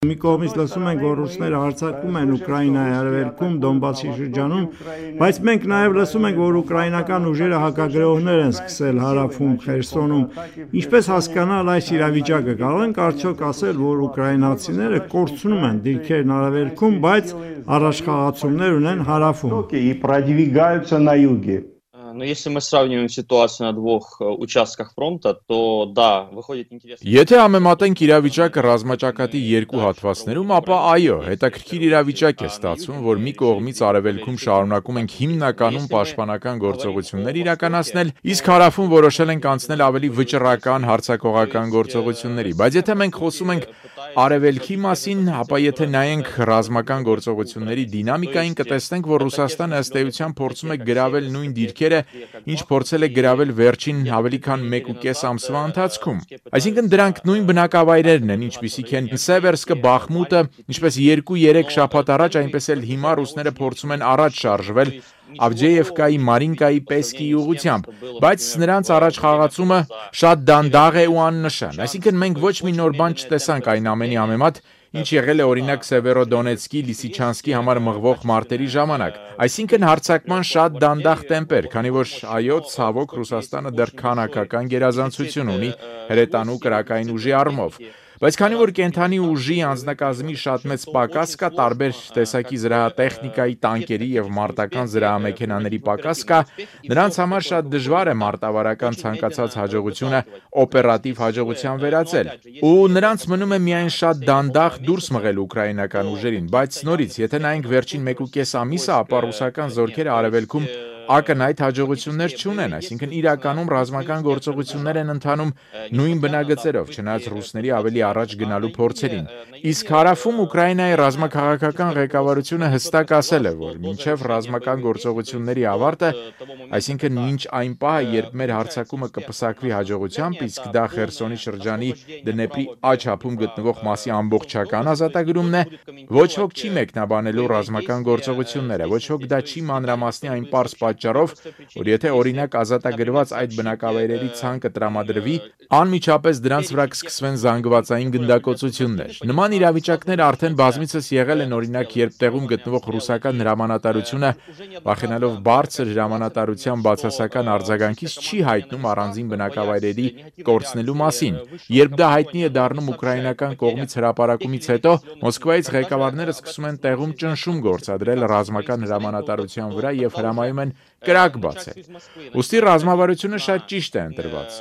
Մի կողմից լսում ենք, որ ռուսները հարձակվում են Ուկրաինայի արևելքում, Դոնբասի շրջանում, բայց մենք նաև լսում ենք, որ ուկրաինական ուժերը հակագրողներ են սկսել հարավում Խերսոնում։ Ինչպես հասկանալ այս իրավիճակը, կարող ենք արդյոք ասել, որ ուկրաինացիները կորցնում են դիրքերն արևելքում, բայց առաջխաղացումներ ունեն հարավում։ Но если мы сравниваем ситуацию на двух участках фронта, то да, выходит интересно. Եթե համեմատենք իրավիճակը ռազմաճակատի երկու հատվածներում, ապա այո, հետաքրքիր իրավիճակ է ստացվում, որ մի կողմից արևելքում շարունակում ենք հիմնականում պաշտպանական գործողություններ իրականացնել, իսկ հարավում որոշել ենք անցնել ավելի վճռական հարձակողական գործողությունների, բայց եթե մենք խոսում ենք արևելքի մասին, ապա եթե նայենք ռազմական գործողությունների դինամիկային, կտեսնենք, որ Ռուսաստանը ըստ էության փորձում է գրավել նույն դիրքերը, ինչ փորձել է գրավել վերջին ավելի քան 1.5 ամսվա ընթացքում։ Այսինքն դրանք նույն բնակավայրերն են, ինչպիսիք են Սևերսկը, Բախմուտը, ինչպես 2-3 շաբաթ առաջ, այնպես էլ հիմա ռուսները փորձում են առաջ շարժվել Ավդեևկայի, Մարինկայի, Պեսկիի ուղղությամբ, բայց նրանց առաջխաղացումը շատ դանդաղ է ու աննշան։ Այսինքն մենք ոչ մի նոր բան չտեսանք այն ամենի համեմատ, ինչ եղել է օրինակ Սևերոդոնեցկի, Լիսիչանսկի համար մղվող մարտերի ժամանակ։ Այսինքն հարձակման շատ դանդաղ տեմպեր, քանի որ այո, ցավոք Ռուսաստանը դեռ քանակական գերազանցություն ունի հրետանու կրակային ուժի առումով։ Բայց քանի որ կենթանի ուժի անձնակազմի շատ մեծ պակաս կա, տարբեր տեսակի զրահատեխնիկայի, տանկերի եւ մարտական զրահամեքենաների պակաս կա, նրանց համար շատ դժվար է մարտավարական ցանկացած հաջողությունը օպերատիվ հաջողության վերածել։ Ու նրանց մնում է միայն շատ դանդաղ դուրս մղել ուկրաինական ուժերին, բայց նորից, եթե նայենք վերջին 1.5 ամիսը, ապա ռուսական զորքերը արևելքում ակնհայտ հաջողություններ չունեն, այսինքն իրականում ռազմական գործողություններ են ընթանում նույն բնագծերով, չնայած ռուսների ավելի առաջ գնալու փորձերին։ Իսկ հարավում Ուկրաինայի ռազմաքաղաքական ղեկավարությունը հստակ ասել է, որ մինչև ռազմական գործողությունների ավարտը, այսինքն մինչ այն պահը, երբ մեր հարձակումը կպսակվի հաջողությամբ, իսկ դա Խերսոնի շրջանի Դնեպրի աջ-ափում գտնվող մասի ամբողջական ազատագրումն է, ոչ ոք չի մեկնաբանելու ռազմական գործողությունները, ոչ ոք դա չի մանրամասնի այն պարզ պատճառով, որ եթե օրինակ ազատագրված այդ բնակավայրերի ցանկը տրամադրվի, անմիջապես դրանց վրա կսկսվեն զանգվածային գնդակոծություններ։ Նման իրավիճակներ արդեն բազմիցս եղել են, օրինակ, երբ տեղում գտնվող ռուսական հրամանատարությունը, վախենալով բարձր հրամանատարության բացասական արձագանքից, չի հայտնում առանձին բնակավայրերի կորցնելու մասին։ Երբ դա հայտնի է դառնում ուկրաինական կողմից հրապարակումից հետո, Մոսկվայից ղեկավարները սկսում են տեղում ճնշում գործադրել ռազմական հրամանատարության վրա եւ հրամայում են կրակ բացել։ Ուստի ռազմավարությունը շատ ճիշտ է ընտրված։